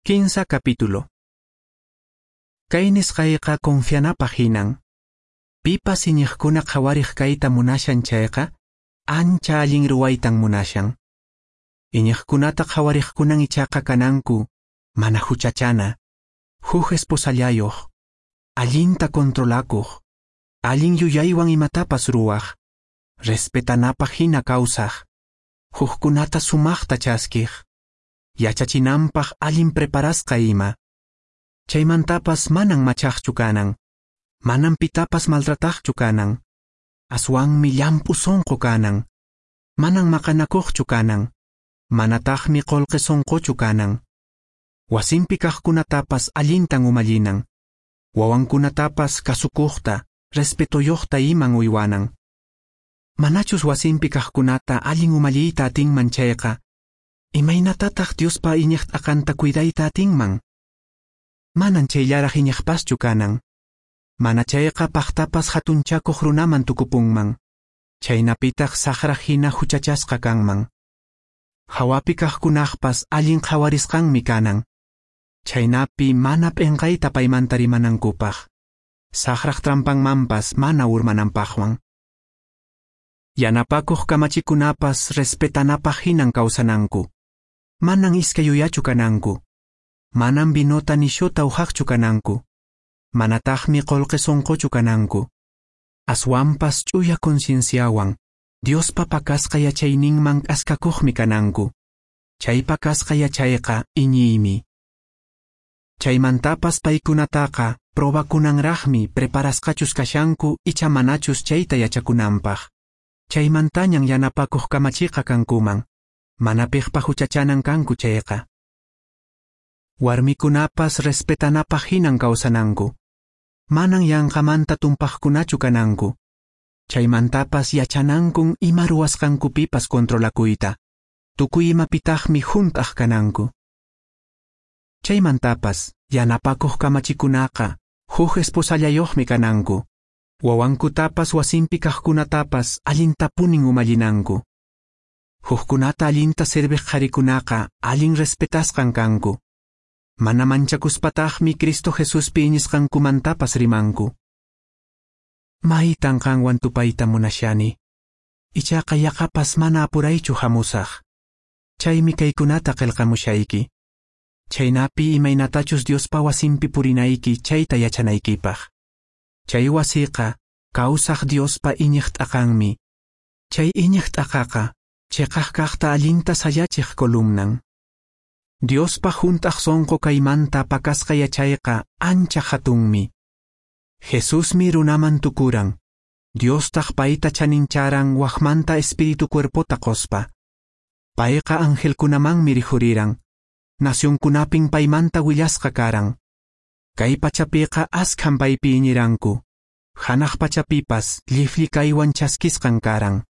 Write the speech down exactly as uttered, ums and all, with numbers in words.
Kinsa capítulo. Kay nisqayqa confianapaq hinan. Pipas iñiqkuna qhawariq kayta munashan chayqa, ancha allin ruwaytan munashan. Iñiqkunata qhawariqkunan ichaqa kananku, mana huchachana, huk esposallayoq, allinta controlakuq, allin yuyaywan imatapas ruwaq, respetanapaq hina kawsaq, hukkunata sumaqta chaskiq, yachachinanpaq allin preparasqa ima. Chaymantapas manan machaqchu kanan, manan pitapas maltrataqchu kanan, aswanmi llamp'u sunqu kanan, manan maqanakuqchu kanan, manataqmi qullqi sunquchu kanan. Wasinpi kaqkunatapas allintan umallinan, wawankunatapas kasukuqta, respetoyuqta iman uywanan. Manachus wasinpi kaqkunata allin umalliyta atinman chayqa, imaynatataq Diospa iñiq t'aqanta cuidayta atinman? Manan chayllaraq iñiqpaschu kanan. Mana chayqa paqtapas hatunchakuq runaman tukupunman, chaynapitaq saqra hina huchachasqa kanman. Hawapi kaqkunaqpas allin qhawarisqanmi kanan, chaynapi mana p'inqayta paymanta rimanankupaq, saqraq trampanmanpas mana urmananpaqwan. Yanapakuq kamachikunapas respetanapaq hinan kawsananku, manan iskay yuyachu kananku, manan vinota nishuta uhaqchu kananku, manataqmi qullqi sunquchu kananku, aswanpas ch'uya concienciawan, Diospa pakasqa yachayninman k'askakuqmi kananku, chay pakasqa yachayqa iñiymi. Chaymantapas paykunataqa probakunanraqmi preparasqachus kashanku icha manachus chayta yachakunanpaq. Chaymantañan yanapakuq kamachiqa kankuman, mana piqpa huchachanan kanku chayqa. Warmikunapas respetanapaq hinan kawsananku, manan yanqamanta tumpaqkunachu kananku. Chaymantapas yachanankun ima ruwasqankupipas controlakuyta, tukuy imapitaqmi hunt'aq kananku. Chaymantapas yanapakuq kamachikunaqa huk esposallayuqmi kananku, wawankutapas wasinpi kaqkunatapas allintapunin umallinanku. Hukkunata allinta serviq qharikunaqa allin respetasqan kanku, mana manchakuspataqmi Cristo Jesuspi iñisqankumantapas rimanku. Maytan qanwan tupayta munashani, ichaqa yaqapas mana apuraychu hamusaq. Chaymi kaykunata qillqamushayki, chaynapi imaynatachus Diospa wasinpi purinayki chayta yachanaykipaq. Chay wasiqa kawsaq Diospa iñiq t'aqanmi, chay iñiq t'aqaqa chiqaq kaqta allinta sayachiq columnan. Diospa hunt'aq sunqu kaymanta pakasqa yachayqa ancha hatunmi. Jesusmi runaman tukuran, Diostaq payta chanincharan waqmanta espíritu cuerpota qospa. Payqa angelkunamanmi rikhuriran, nacionkunapin paymanta willasqa karan. Kay pachapiqa askhan paypi iñiranku, hanaq pachapipas lliflli kaywan chaskisqan karan.